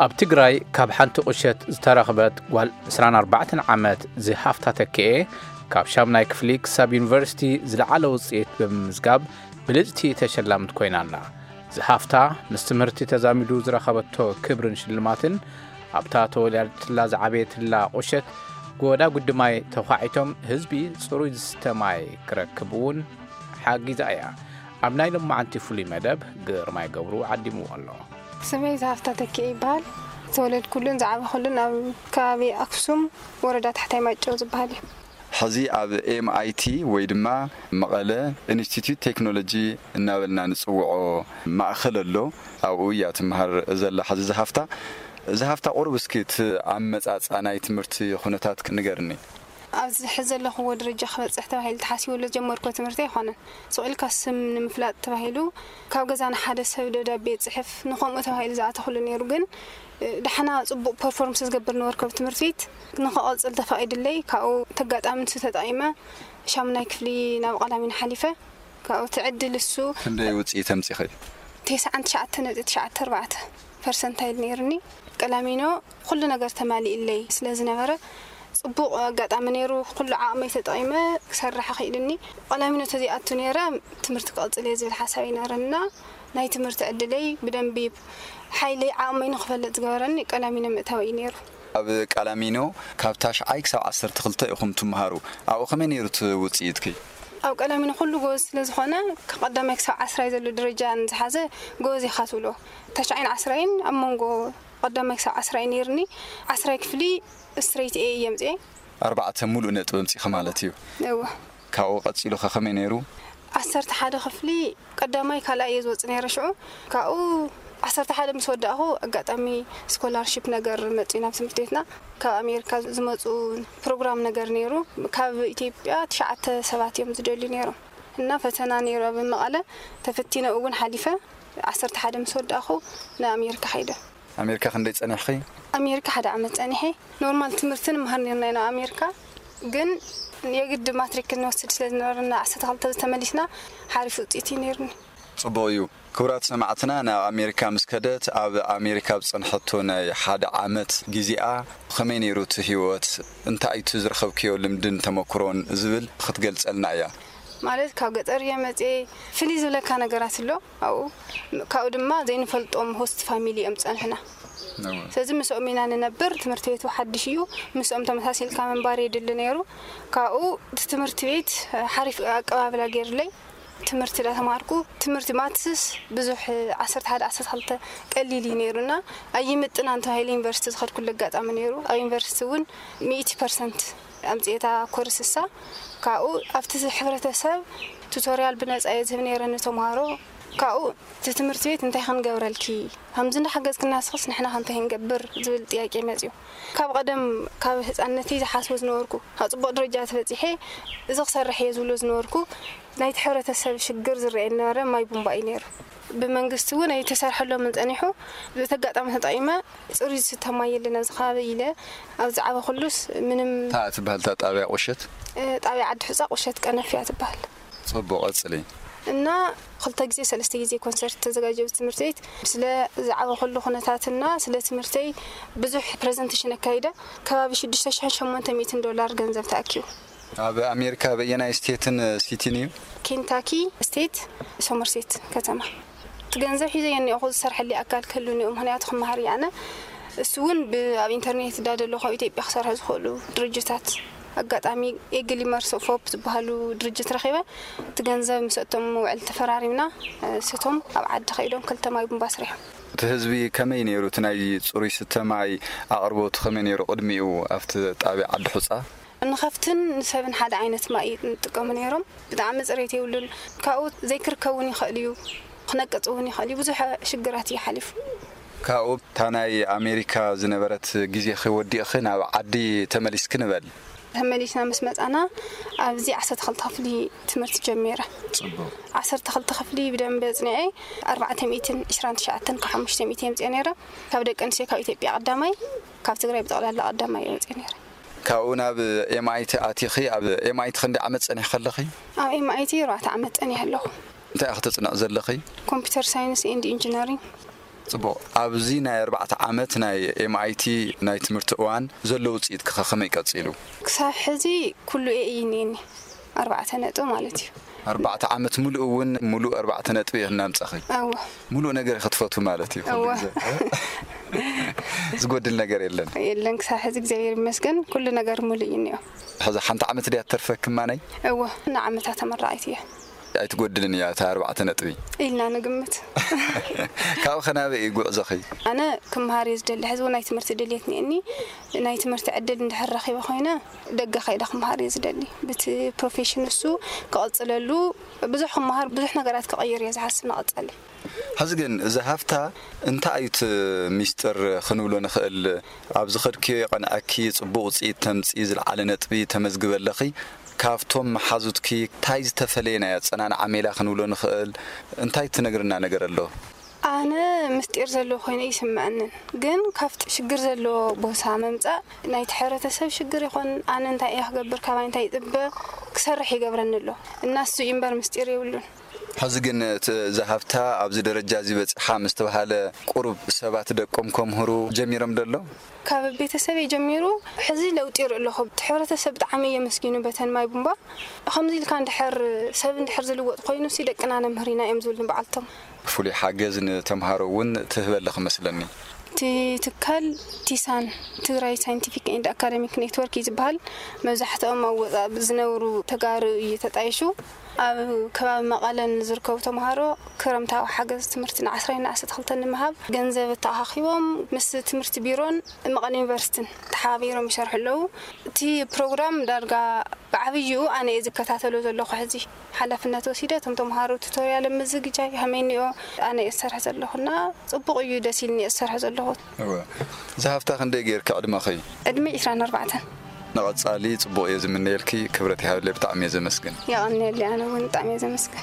ኣብ ትግራይ ካብ ሓንቲ ቁሸት ዝተረኽበት ጓል ዕስራን ኣርባዕተን ዓመት ዝሃፍታ ተክኤ፣ ካብ ሻምናይ ክፍሊ ክሳብ ዩኒቨርሲቲ ዝለዓለ ውፅኢት ብምምዝጋብ ብልፅቲ ተሸላምት ኮይና ኣላ። ዝሃፍታ ምስ ትምህርቲ ተዛሚዱ ዝረኸበቶ ክብርን ሽልማትን፣ ኣብታ ተወሊዳትላ ዝዓበየትላ ቁሸት ጎዳ ጉድማይ ተዃዒቶም ህዝቢ ፅሩይ ዝስተ ማይ ክረክብ እውን ሓጊዛ እያ። ኣብ ናይ ሎማዓንቲ ፍሉይ መደብ ግርማይ ገብሩ ዓዲምዎ ኣሎ። ስመይ ዝሃፍታ ተኪኤ ይበሃል። ዝተወለድኩሉን ዝዓበኹሉን ኣብ ከባቢ ኣክሱም ወረዳ ታሕታይ ማይጨው ዝበሃል እዩ። ሕዚ ኣብ ኤምኣይቲ ወይ ድማ መቐለ ኢንስቲትዩት ቴክኖሎጂ እናበልና ንፅውዖ ማእኸል ኣሎ። ኣብኡ እያ ትመሃር ዘላ ሕዚ ዝሃፍታ። ዝሃፍታ፣ ቁሩብ እስኪ እቲ ኣመፃፅኣ ናይ ትምህርቲ ኩነታት ንገርኒ። ኣብዚ ሕዚ ዘለኽዎ ደረጃ ክበፅሕ ተባሂሉ ተሓሲቡ ዝጀመርኩ ትምህርቲ ኣይኮነን። ስቕ ኢልካ ስም ንምፍላጥ ተባሂሉ ካብ ገዛ ንሓደ ሰብ ደብዳቤ ይፅሕፍ፣ ንኸምኡ ተባሂሉ ዝኣተኹሉ ነይሩ። ግን ዳሕና ፅቡቕ ፐርፎርምስ ዝገብር ነበርኩ ኣብ ትምህርቲ ቤት። ንኸቐፅል ተፈቒድለይ፣ ካብኡ ተጋጣሚ ንሱ ተጠቒመ ሻሙናይ ክፍሊ ናብ ቀላሚኖ ሓሊፈ። ካብኡ እቲ ዕድል እሱ ክንደይ ውፅኢት ኣምፂኺ? ተስዓን ትሽዓተ ነጥቢ ትሽዓተ ኣርባዕተ ፐርሰንታይል ነይሩኒ። ቀላሚኖ ኩሉ ነገር ተማሊእለይ ስለ ዝነበረ፣ ፅቡቕ ኣጋጣሚ ነይሩ። ኩሉ ዓቕመይ ተጠቒመ ክሰርሕ ክኢልኒ። ቀላሚኖ ተዘይኣቱ ነይረ፣ ትምህርቲ ክቕፅል እየ ዝብል ሓሳብ ኣይነበረና። ናይ ትምህርቲ ዕድለይ ብደንቢ ሓይለይ ዓቕመይ ንክፈልጥ ዝገበረኒ ቀላሚኖ ምእታወይ እዩ ነይሩ። ኣብ ቀላሚኖ ካብ ታሽዓይ ክሳብ ዓሰርተ ክልተ ኢኹም ትመሃሩ። ኣብኡ ከመይ ነይሩ እቲ ውፅኢትኪ? ኣብ ቀላሚኖ ኩሉ ጎበዝ ስለ ዝኾነ፣ ካብ ቀዳማይ ክሳብ ዓስራይ ዘሎ ደረጃ ንዝሓዘ ጎበዝ ኢኻ ትብሎ። ታሽዓይን ዓስራይን ኣብ መንጎ ቀዳማይ ክሳብ ዓስራይ ነይርኒ። ዓስራይ ክፍሊ ስትሬት ኤ እየ ኣምፅኤ። ኣርባዕተ ሙሉእ ነጥቢ ኣምፂኺ ማለት እዩ። እወ። ካብኡ ቀፂሉ ኸ ከመይ ነይሩ? ዓሰርተ ሓደ ክፍሊ ቀዳማይ ካልኣይ እየ ዝወፅእ ነይረ። ሽዑ ካብኡ ዓሰርተ ሓደ ምስ ወዳእኹ፣ ኣጋጣሚ ስኮላርሺፕ ነገር መፅኡ ናብ ትምህርቲ ቤትና። ካብ ኣሜሪካ ዝመፁ ፕሮግራም ነገር ነይሩ። ካብ ኢትዮጵያ ትሽዓተ ሰባት እዮም ዝደልዩ ነይሮም እና ፈተና ነይሩ። ኣብ መቐለ ተፈቲነ እውን ሓሊፈ። ዓሰርተ ሓደ ምስ ወዳእኹ ንኣሜሪካ ከይደ። ኣሜሪካ ክንደይ ጸኒሕኺ? ኣሜሪካ ሓደ ዓመት ጸኒሐ። ኖርማል ትምህርቲ ንመሃር ነርና ኢና ኣሜሪካ፣ ግን የግድ ማትሪክ ክንወስድ ስለ ዝነበረና ዓሰርተ ክልተ ተመሊስና። ሓሪፍ ውጽኢት እዩ ነይሩኒ። ጽቡቕ እዩ። ክቡራት ሰማዕትና፣ ናብ ኣሜሪካ ምስ ከደት፣ ኣብ ኣሜሪካ ኣብ ዝጸንሐቶ ናይ ሓደ ዓመት ግዜኣ፣ ብኸመይ ነይሩ እቲ ህይወት? እንታይ እዩ እቲ ዝረኸብክዮ ልምድን ተመክሮን ዝብል ክትገልጸልና እያ። ማለት፣ ካብ ገጠር እየ መጽኤ። ፍልይ ዝብለካ ነገራት ኣሎ ኣብኡ። ካብኡ ድማ ዘይንፈልጦም ሆስት ፋሚሊ እዮም ዝጸንሑና። እወ። ስለዚ ምስኦም ኢና ንነብር። ትምህርቲ ቤቱ ሓድሽ እዩ። ምስኦም ተመሳሲልካ ምንባር የድሊ ነይሩ። ካብኡ እቲ ትምህርቲ ቤት ሓሪፍ ኣቀባብላ ገይሩለይ። ትምህርቲ ዳተማሃርኩ፣ ትምህርቲ ማትስስ ብዙሕ፣ ዓሰርተ ሓደ ዓሰርተ ክልተ ቀሊል እዩ ነይሩና። ኣይምጥናን ተባሂለ ዩኒቨርሲቲ ዝኸድኩሉ ኣጋጣሚ ነይሩ። ኣብ ዩኒቨርሲቲ እውን ሚእቲ ፐርሰንት ኣምፅኤታ ኮርስ እሳ። ካብኡ ኣብቲ ሕብረተሰብ ቱቶሪያል ብነፃ እየ ዝህብ ነይረ ንተምሃሮ። ካብኡ እቲ ትምህርቲ ቤት እንታይ ክንገብረልኪ፣ ከምዚ እንዳሓገዝክና ንስኽስ ንሕና ከ እንታይ ክንገብር ዝብል ጥያቄ መፅዩ። ካብ ቀደም ካብ ህፃንነተይ ዝሓስቦ ዝነበርኩ፣ ኣብ ፅቡቕ ደረጃ ተበፂሐ እዚ ክሰርሕ እየ ዝብሎ ዝነበርኩ፣ ናይቲ ሕብረተሰብ ሽግር ዝረኣየኒ ነበረ፣ ማይ ቡምባ እዩ ነይሩ። ብመንግስቲ እውን ኣይተሰርሐሎምን ጸኒሑ። በቲ ኣጋጣሚ ተጠቒመ ጽሩይ ዝስተ ማይ የለን ኣብዚ ከባቢ ኢለ፣ ኣብ ዝዓበኹሉስ ምንም። እንታይ እያ ትበሃል እታ ጣብያ ቁሸት? እ፣ ጣብያ ዓዲ ሑጻ ቁሸት ቀነፍ እያ ትበሃል። ጽቡቕ፣ ቀጽሊ። እና ክልተ ግዜ ሰለስተ ግዜ ኮንሰርት ተዘጋጀ ኣብዚ ትምህርቲ ቤት። ስለ ዝዓበኹሉ ኩነታትና ስለ ትምህርተይ ብዙሕ ፕረዘንቴሽን ኣካይደ። ከባቢ ሽዱሽተ ሽሕን ሸሞንተ ሚእትን ዶላር ገንዘብ ተኣኪቡ። ኣብ ኣሜሪካ በየናይ ስቴትን ሲቲን እዩ? ኬንታኪ ስቴት፣ ሶመርሴት ከተማ። እቲ ገንዘብ ሒዘዮ እኒኦኹ፣ ዝሰርሐለይ ኣካል ክህሉኒ እዩ፣ ምኽንያቱ ክመሃር እየ ኣነ። እሱ እውን ብ-፣ ኣብ ኢንተርኔት እዳ ደለኹ ኣብ ኢትዮጵያ ክሰርሑ ዝኽእሉ ድርጅታት፣ ኣጋጣሚ ኤግሊ መርሶ ፎፕ ዝበሃሉ ድርጅት ረኺበ። እቲ ገንዘብ ምስኣቶም ውዕል ተፈራሪምና፣ እሶም ኣብ ዓዲ ከይዶም ክልተ ማይ ቡምባ ኣስሪሖም። እቲ ህዝቢ ከመይ ነይሩ? እቲ ናይ ጽሩይ ስተ ማይ ኣቕርቦቱ ከመይ ነይሩ ቅድሚኡ ኣብቲ ጣብያ ዓዲ ሑጻ? ንኸፍትን ንሰብን ሓደ ዓይነት ማይ ንጥቀሙ ነይሮም። ብጣዕሚ ፅሬት የብሉን። ካብኡ ዘይክርከብ እውን ይኽእል እዩ፣ ክነቅፅ እውን ይኽእል እዩ። ብዙሕ ሽግራት እዩ ሓሊፉ። ካብኡ እታ ናይ ኣሜሪካ ዝነበረት ግዜኺ ወዲእኺ ናብ ዓዲ ተመሊስኪ ንበል። ተመሊስና ምስ መፃና ኣብዚ ዓሰርተ ክልተ ክፍሊ ትምህርቲ ጀሚረ። ፅቡቕ። ዓሰርተ ክልተ ክፍሊ ብደንቢ ኣፅኒዐ ኣርባዕተ ሚእትን ዕስራን ትሽዓተን ካብ ሓሙሽተ ሚእቲ የምፅአ ነይረ። ካብ ደቂ ኣንስትዮ ካብ ኢትዮጵያ ቀዳማይ፣ ካብ ትግራይ ብጠቕላላ ቀዳማይ የምፅአ ነይረ። ካብኡ ናብ ኤምኣይቲ ኣቲኺ፣ ኣብ ኤምኣይቲ ክንደይ ዓመት ጸኒሕኺ ኣለኺ? ኣብ ኤምኣይቲ ኣርባዕተ ዓመት ጸኒሐ ኣለኹ። እንታይ ኢኺ ተጽንዒ ዘለኺ? ኮምፒውተር ሳይንስ ኤንድ ኢንጂነሪንግ። ጽቡቕ። ኣብዚ ናይ ኣርባዕተ ዓመት ናይ ኤምኣይቲ ናይ ትምህርቲ እዋን ዘሎ ውጽኢትኪ ከ ከመይ ቀጺሉ? ክሳብ ሕዚ ኩሉ ኤ እዩ እኒኤኒ፣ ኣርባዕተ ነጥቢ ማለት እዩ። ኣርባዕተ ዓመት ሙሉእ እውን ሙሉእ ኣርባዕተ ነጥቢ ኢኺ እናምጻኺ? እወ። ሙሉእ ነገር ኢኺ ትፈትዊ ማለት እዩ ኩሉ እወ። ግዜ? ዝጎድል ነገር የለን? የለን፣ ክሳብ ሕዚ እግዚኣብሔር ይመስገን ኩሉ ነገር ሙሉእ እዩ እኒኦ። ሕዚ ሓንቲ ዓመት ድያ ትተርፈኪ ማነይ? እወ፣ ንዓመታ ተመራቒት እያ። ኣይትጎድልን እያ እታ ኣርባዕተ ነጥቢ? ኢልና ንግምት። ካብኡ ከ ናበይ እዩ ጉዕዞኺ? ኣነ ክምሃር እየ ዝደሊ። ሕዚ እውን ናይ ትምህርቲ ድልየት እኒአኒ። ናይ ትምህርቲ ዕድል እንድሕር ረኺበ ኮይነ ደገ ከይደ ክምሃር እየ ዝደሊ። ብቲ ፕሮፌሽን እሱ ክቕጽለሉ ብዙሕ ክምሃር ብዙሕ ነገራት ክቕይር እየ ዝሓስብ ንቐጻሊ። ሕዚ ግን እዛ ሃፍታ እንታይ እዩ እቲ ሚስጥር ክንብሎ ንኽእል? ኣብ ዝኸድክዮ የቐንዐኪ፣ ጽቡቕ ውጽኢት ተምጽኢ፣ ዝለዓለ ነጥቢ ተመዝግቢ ኣለኺ። ካብቶም መሓዙትኪ እንታይ ዝተፈለየ ናይ ኣጸናንዓ ሜላ ክንብሎ ንኽእል? እንታይ ትነግርና ነገር ኣሎ? ኣነ ምስጢር ዘለዎ ኮይነ ይስምዐንን፣ ግን ካብቲ ሽግር ዘለዎ ቦታ ምምጻእ ናይቲ ሕብረተሰብ ሽግር ይኾን፣ ኣነ እንታይ እየ ክገብር፣ ካባይ እንታይ ይጽበ፣ ክሰርሕ ይገብረኒ ኣሎ። እና እሱ እዩ እምበር ምስጢር የብሉን። ሕዚ ግን እቲ እዛ ሃፍታ ኣብዚ ደረጃ እዚ በጺሓ ምስ ተባሃለ ቁሩብ ሰባት ደቆም ከምህሩ ጀሚሮም ዶ ኣሎ? ካብ ቤተሰበይ ጀሚሩ ሕዚ ለውጢ ይርኢ ኣለኹ። እቲ ሕብረተሰብ ብጣዕሚ የመስጊኑ በተን ማይ ቡምባ። ከምዚ ኢልካ እንድሕር ሰብ እንድሕር ዝልወጥ ኮይኑ ሲ ደቅና ነምህር ኢና እዮም ዝብሉኒ በዓልቶም። ፍሉይ ሓገዝ ንተምሃሮ እውን ትህበለ ክመስለኒ። እቲ ትካል ቲሳን፣ ትግራይ ሳይንቲፊክ ኤንድ ኣካደሚክ ኔትወርክ እዩ ዝበሃል። መብዛሕትኦም ኣብ ወፃእ ዝነብሩ ተጋሩ እዩ ተጣይሹ። ኣብ ከባቢ መቐለ ንዝርከቡ ተምሃሮ ክረምታዊ ሓገዝ ትምህርቲ ንዓስራይ ንዓሰርተ ክልተ ንምሃብ ገንዘብ ተኣኻኺቦም ምስ ትምህርቲ ቢሮን መቐለ ዩኒቨርሲቲን ተሓባቢሮም ይሰርሑ ኣለዉ። እቲ ፕሮግራም ዳርጋ ብዓብይኡ ኣነ እየ ዝከታተሎ ዘለኹ። ሕዚ ሓላፍነት ወሲደ እቶም ተምሃሮ ቱቶርያል ኣብ ምዝግጃይ ከመይ እኒኦ ኣነ እየ ዝሰርሕ ዘለኹና ጽቡቕ እዩ፣ ደስ ኢልኒ እየ ዝሰርሕ ዘለኹ። እወ። እዛ ሃፍታ ክንደይ ጌርኪ ዕድመኺ? ዕድመ ዕስራን ኣርባዕተን። ንቐጻሊ ጽቡቕ እየ ዝምነየልኪ። ክብረት ይሃብለይ፣ ብጣዕሚ እየ ዘመስግን። የቐንየለይ፣ ኣነ እውን ብጣዕሚ እየ ዘመስግን።